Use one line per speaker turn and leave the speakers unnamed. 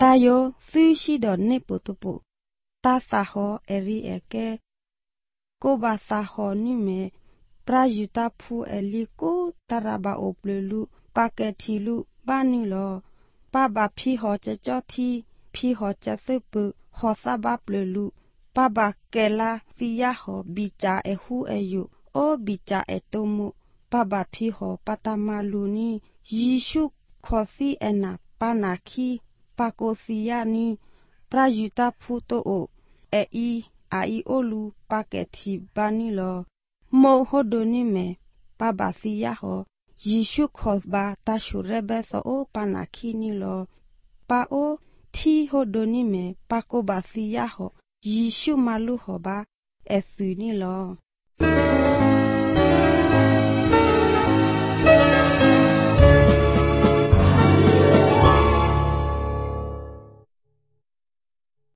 tayo sushi do ne potopo ta saho eri eke ko ba saho ni me prajuta phu eliko taraba oplelu paketilu bani lo pa ba phi ho cha cho thi phi ho cha sepu ho sa ba plelu pa ba kela siya ho bicha ehu eyu o bicha etomu pa ba phi ho patamalu ni yishu khosi ena panakhi pakosia ni prajuta phu to o e ai olu paketi bani lo mo hodoni me pa ba siya ho yishu khosba ta shurebe so o panakhi ni lo pa o thi hodoni me pa ko ba siya ho yishu malu ho ba esu ni lo